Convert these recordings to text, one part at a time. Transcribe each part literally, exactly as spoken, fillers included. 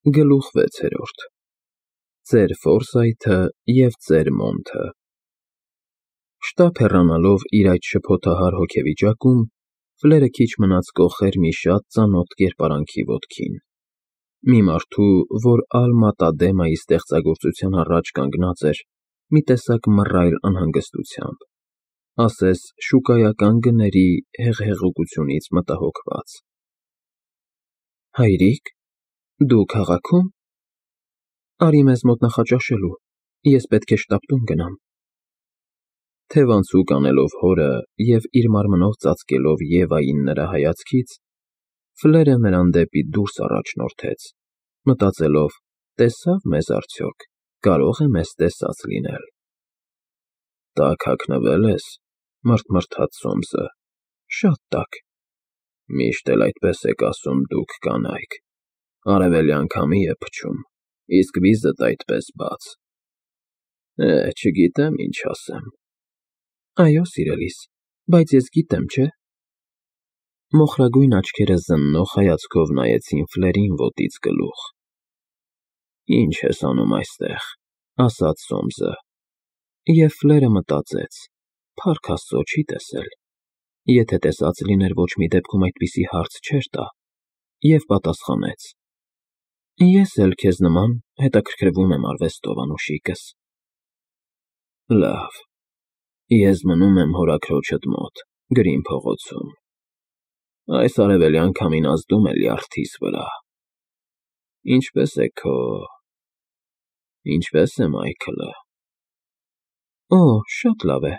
Գլուխ վեցերորդ Ձեր Ֆորսայթը և ձեր Մոնթը Շտապ հեռանալով իր այդ շփոթահար հոգեվիճակում, Ֆլերը քիչ մնաց կոխեր մի շատ ծանոթ կերպարանքի ոտքին, մի մարդու, որ Ալ-Մատադեմայի ստեղծագործության առաջ կանգնած էր մի տեսակ մռայլ անհանգստությամբ, ասես շուկայական գների հեղեղուկությունից մտահոգված։ ֊ Հայրիկ, դու քաղաքի՞ում։ Արի մեզ մոտ նախաճաշելու, ես պետք է շտապ տուն գնամ։ Թևանցուկ անելով հորը և իր մարմնով ծածկելով Եվային նրա հայացքից, Ֆլերը նրան դեպի դուրս առաջնորդեց, մտածելով. տեսա՞վ մեզ արդյոք, կարող է մեզ տեսած լինել։ Տաք հագնվե՞լ ես, մռթմռթաց Սոմսը, շատ տաք։ Միշտ էլ այդպես եք ասում դուք կանայք, արևելյան քամի է փչում, իսկ վիզդ այդպես բաց։ Է, չգիտեմ ինչ ասեմ։ Այո, սիրելիս, բայց ես գիտեմ, չէ՞։ Մոխրագույն աչքերը զննող հայացքով նայեցին Ֆլերին ոտից գլուխ։ Ինչ ես անում այստեղ, ասաց Սոմսը, և Ֆլերը մտածեց. փառք Աստծո, չի տեսել, եթե տեսած լիներ, ոչ մի դեպքում այդպիսի հարց չէր տա, և պատասխանեց. Ես էլ քեզ նման հետաքրքրվում եմ արվեստով, անուշիկս։ Լավ, ես մնում եմ հորաքրոջդ մոտ, Գրին փողոցում։ Այս արևելյան քամին ազդում է լյարդիս վրա։ Ինչպե՞ս է քո… ինչպե՞ս է Մայքլը։ Օ, շատ լավ է,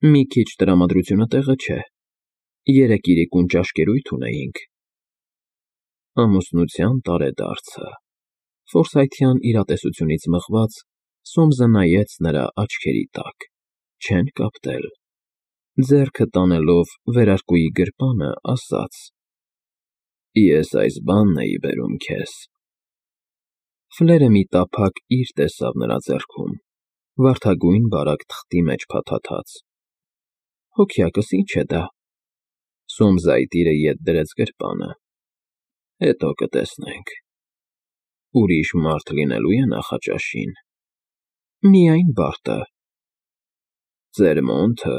մի քիչ տրամադրությունը տեղը չէ, երեկ իրիկուն ճաշկերույթ ունեինք։ Ամուսնության տարեդարձը… Ֆորսայթյան իրատեսությունից մղված, Սոմսը նայեց նրա աչքերի տակ, չեն կապտել, ձեռքը տանելով վերարկուի գրպանը, ասաց. Ես այս բանն էի բերում քեզ։ Ֆլերը մի տափակ իր տեսավ նրա ձեռքում, վարդագույն բարակ թղթի մեջ փաթաթած։ Հոգյակս, ի՞նչ է դա։ Սոմսը այդ իրը ետ դրեց գրպանը։ Հետո կտեսնենք։ Ուրիշ մարդ լինելո՞ւ է նախաճաշին։ Միայն Բարտը։ Ձեր Մոնթը…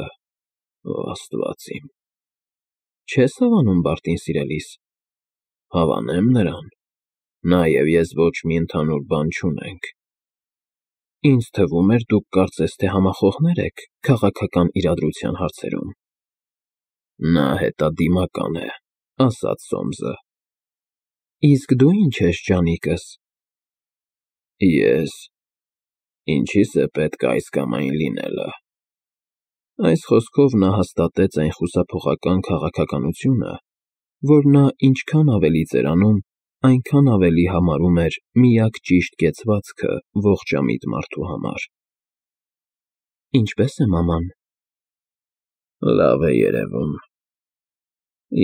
Օ, Աստված իմ… Չե՞ս հավանում Բարտին, սիրելիս։ Հավանեմ նրան, նա և ես ոչ մի ընդհանուր բան չունենք։ Ինձ թվում էր, դուք կարծես թե համախոհներ եք քաղաքական իրադրության հարցերում։ Նա հետադիմական է, ասաց Սոմսը։ Իսկ դու ինչ ես, ջանիկս։ Ես… ինչի՞ս է պետք այս կամ այն լինելը։ Այս խոսքով նա հաստատեց այն խուսափողական քաղաքականությունը, որ նա ինչքան ավելի էր անում, այնքան ավելի համարում էր միակ ճիշտ կեցվածքը ողջամիտ մարդու համար։ Ինչպե՞ս է մաման։ Լավ է երևում։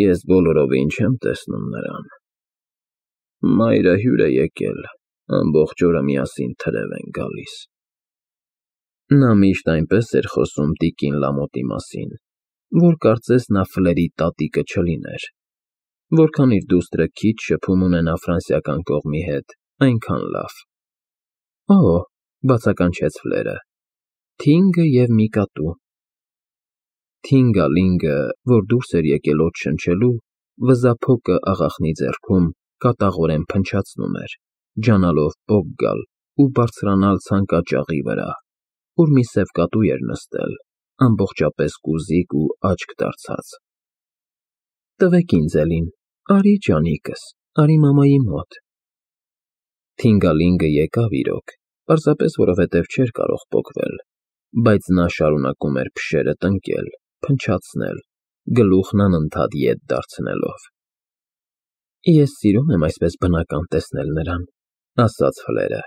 Ես բոլորովին չեմ տեսնում նրան։ Մայրը հյուր է եկել, ամբողջ օրը միասին թրև են գալիս։ Նա միշտ այնպես էր խոսում տիկին Լամոտի մասին, որ կարծես նա Ֆլերի տատիկը չլիներ։ Որքան իր դուստրը քիչ շփում ունենա ֆրանսիական կողմի հետ, այնքան լավ։ Օ, բացականչեց Ֆլերը, Թինգը և մի կատու։ Թինգալինգը, որ դուրս էր եկել օդ շնչելու, վզափոկը աղախնի ձեռքում կատաղորեն փնչացնում էր, ջանալով պոկ գալ ու բարձրանալ ցանկաճաղի վրա, ուր մի սև կատու էր նստել, ամբողջապես կուզիկ ու աչք դարձած։ Տվեք ինձ էլին, արի ջանիկս, արի մամայի մոտ։ Թինգալինգը եկավ իրոք, պարզապես որովհետև չէր կարող պոկվել, բայց նա շարունակում էր փշերը տնկել, փնչացնել, գլուխն անընդհատ ետ դարձնելով։ Ես սիրում եմ այսպես բնական տեսնել նրան, ասաց Ֆլերը։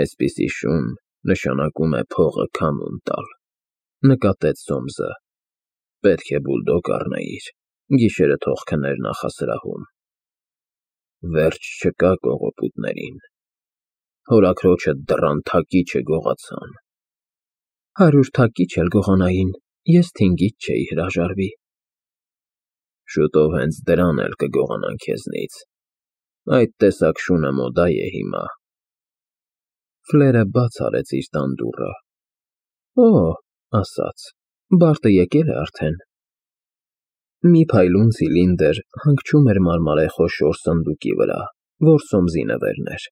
Այսպիսի շուն նշանակում է փողը քամուն տալ, նկատեց Սոմսը։ Պետք է բուլդոգ առնեիր, գիշերը թող քներ նախասրահում։ Վերջ չկա կողոպուտներին։ Հորաքրոջդ դռան թակիչը գողացան։ Հարյուր թակիչ էլ գողանային, ես թինգից չէի հրաժարվի։ Շուտով հենց դրան էլ կգողանան քեզնից։ Այդ տեսակ շունը մոդա է հիմա։ Ֆլերը բաց արեց իր տան դուռը։ Օ, ասաց, Բարտը եկել է արդեն։ Մի փայլուն ցիլինդր հանգչում էր մարմարե խոշոր սնդուկի վրա, որ սոմզի նվերն էր։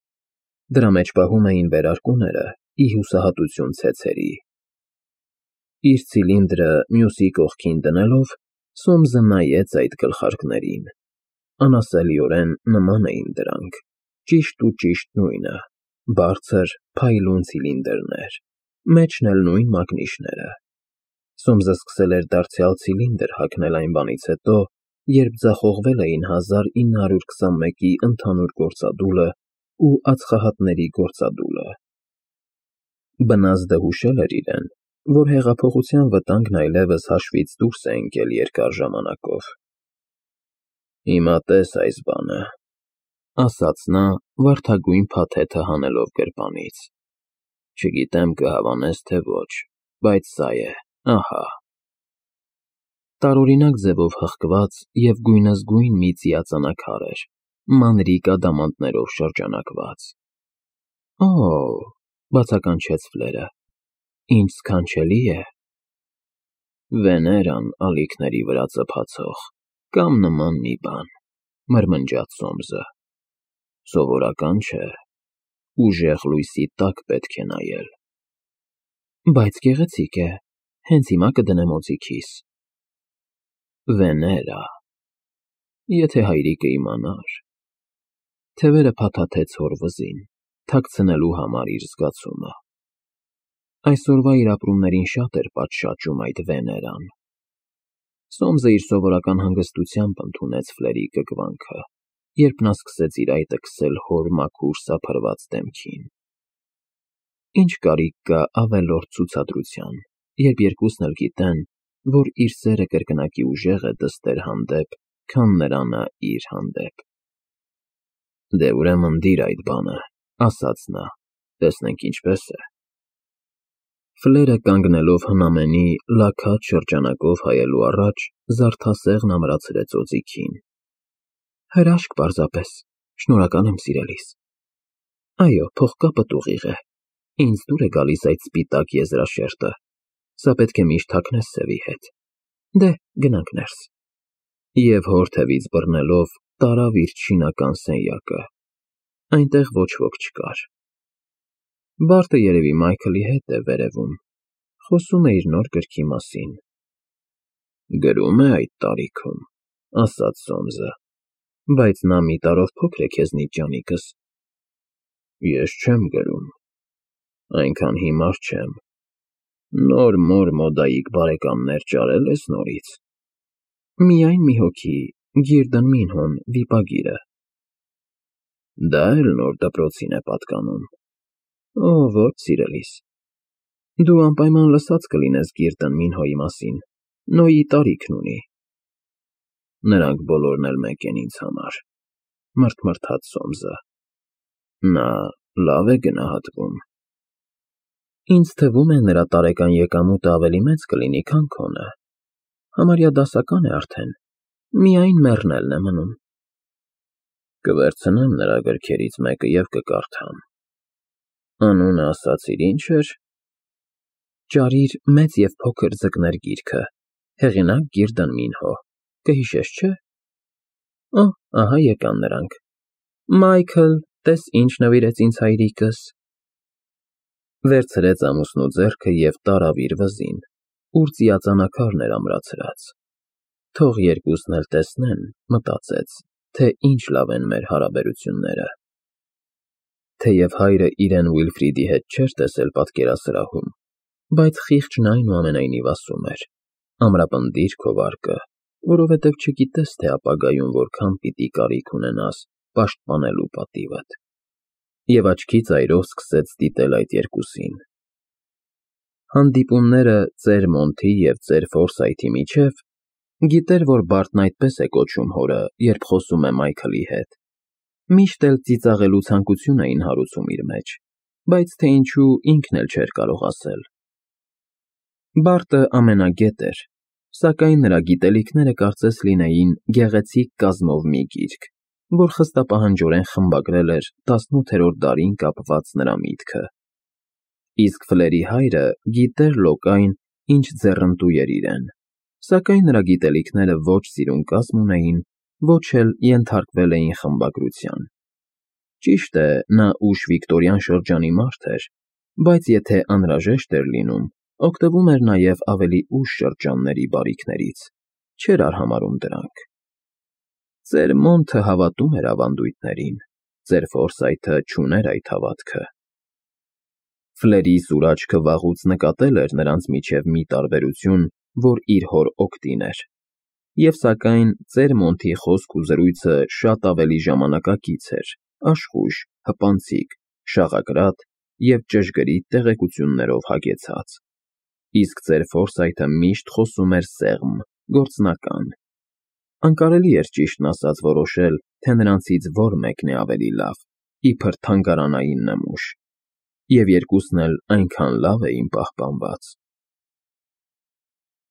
Դրա մեջ պահում էին վերարկուները ի հուսահատություն ցեցերի։ Իր ցիլինդրը մյուսի կողքին դնելով, Սոմսը նայեց այդ գլխարկներին։ Անասելիորեն նման էին դրանք, ճիշտ ու ճիշտ նույնը, բարձր, փայլուն ցիլինդրներ, մեջն էլ նույն մագնիշները։ Սոմսը սկսել էր դարձյալ ցիլինդր հագնել այն բանից հետո, երբ ձախողվել էին հազար ինը հարյուր քսանմեկի ընդհանուր գործադուլը ու ածխահատների գործադուլը։ Բնազդը հուշել էր իրեն, որ հեղափոխության վտանգն այլևս հաշվից դուրս է ընկել երկար ժամանակով։ Հիմա տես այս բանը, ասաց նա, վարդագույն փաթեթը հանելով գրպանից։ Չգիտեմ կհավանես թե ոչ, բայց սա է, ահա։ Տարօրինակ ձևով հղկված և գույնզգույն մի ծիածանաքար էր, մանրիկ ադամանդներով շրջանակված։ Օ, բացականչեց Ֆլերը, ինչ սքանչելի է։ Վեներան ալիքների վրա ծփացող, կամ նման մի բան, մրմնջաց Սոմսը։ Սովորական չէ, ուժեղ լույսի տակ պետք է նայել։ Բայց գեղեցիկ է, հենց հիմա կդնեմ օձիքիս։ Վեներա, եթե հայրիկը իմանար։ Թևերը փաթաթեց հոր վզին, թաքցնելու համար իր զգացումը։ Այսօրվա իր ապրումներին շատ էր պատշաճում այդ Վեներան։ Սոմսը իր սովորական հանգստությամբ ընդունեց Ֆլերի կկվանքը, երբ նա սկսեց իր այտը քսել հոր մաքուր սափրված դեմքին։ Ինչ կարիք կա ավելորդ ցուցադրության, երբ երկուսն էլ գիտեն, որ իր սերը կրկնակի ուժեղ է դստեր հանդեպ, քան նրանը իր հանդեպ։ Դե ուրեմն դիր այդ բանը, ասաց նա, տեսնենք ինչպես է։ Ֆլերը կանգնելով հնամենի լաքած շրջանակով հայելու առաջ, զարդասեղն ամրացրեց օձիքին։ Հրաշք պարզապես, շնորհակալ եմ սիրելիս։ Այո, փողկապդ ուղիղ է, ինձ դուր է գալիս այդ սպիտակ եզրաշերտը, սա պետք է միշտ հագնես սևի հետ։ Դե, գնանք ներս։ Եվ հոր թևից բռնելով, տարավ իր չինական սենյակը։ Այնտեղ ոչ ոք չկար։ Բարտը երևի Մայքլի հետ է վերևում, խոսում է իր նոր գրքի մասին։ Գրում է այդ տարիքում, ասաց Սոմսը, բայց նա մի տարով փոքր է քեզնից, ջանիկս։ Ես չեմ գրում, այնքան հիմար չեմ։ Նոր մոր մոդայիկ բարեկամներ ճարել ես նորից։ Միայն մի հոգի, Գիրդն Մինհոն, վիպագիրը։ Դա էլ նոր դպրոցին է պատկանում։ Օ, ոչ սիրելիս։ Դու անպայման լսած կլինես Գիրդն Մինհոյի մասին, Նոյի տարիքն ունի։ Նրանք բոլորն էլ մեկ են ինձ համար, մրթմրթաց Սոմսը։ Նա լավ է գնահատվում։ Ինձ թվում է նրա տարեկան եկամուտը ավելի մեծ կլինի, քան քոնը։ Համարյա դասական է արդեն, միայն մեռնելն է մնում։ Կվերցնեմ նրա գրքերից մեկը և կկարդամ։ Անունը ասացիր ինչ էր։ Ճարիր մեծ և փոքր ձկներ գիրքը, հեղինակ Գիրդն Մինհո, կհիշես, չէ։ Օ, ահա եկան նրանք։ Մայքլ, տես ինչ նվիրեց ինձ հայրիկս։ Վերցրեց ամուսնու ձեռքը և տարավ իր վզին, ուր ծիածանակարն էր ամրացրած։ Թող երկուսն էլ տեսնեն, մտածեց, թե ինչ լավ են մեր հարաբերությունները։ Թեև հայրը իրեն Ուիլֆրիդի հետ չէր տեսել պատկերասրահում, բայց խիղճն այնուամենայնիվ ասում էր. ամրապնդիր քո վարկը, որովհետև չգիտես, թե ապագայում որքան պիտի կարիք ունենաս պաշտպանելու պատիվդ։ Եվ աչքի ծայրով սկսեց դիտել այդ երկուսին։ Հանդիպումները ծեր Մոնթի և ծեր Ֆորսայթի միջև, գիտեր, որ Բարտն այդպես է կոչում հորը, երբ խոսում է Մայքլի հետ, միշտ էլ ծիծաղելու ցանկություն էին հարուցում իր մեջ, բայց թե ինչու ինքն էլ չէր կարող ասել։ Բարտը ամենագետ էր, սակայն նրա գիտելիքները կարծես լինեին գեղեցիկ կազմով մի գիրք, որ խստապահանջորեն խմբագրել էր տասնութերորդ դարին կապված նրա միտքը։ Իսկ Ֆլերի հայրը գիտեր լոկայն, ինչ ձեռնտու էր իրեն, սակայն նրա գիտելիքները ոչ սիրուն կազմ ունեին, ոչ էլ ենթարկվել էին խմբագրության։ Ճիշտ է, նա ուշ վիկտորյան շրջանի մարդ էր, բայց եթե անհրաժեշտ էր լինում, օգտվում էր նաև ավելի ուշ շրջանների բարիքներից, չէր արհամարհում դրանք։ Ծեր Մոնթը հավատում էր ավանդույթներին, ծեր Ֆորսայթը չուներ այդ հավատքը։ Ֆլերի սուր աչքը վաղուց նկատել էր նրանց միջև մի տարբերություն, որ իր հոր օգտին էր, և սակայն ծեր Մոնթի խոսք ու զրույցը շատ ավելի ժամանակակից էր, աշխույժ, հպանցիկ, շաղակրատ և ճշգրիտ տեղեկություններով հագեցած, իսկ ծեր Ֆորսայթը միշտ խոսում էր սեղմ, գործնական։ Անկարելի էր ճիշտն ասած որոշել, թե նրանցից որ մեկն է ավելի լավ, իբր թանգարանային նմուշ, և երկուսն էլ այնքան լավ էին պահպանված,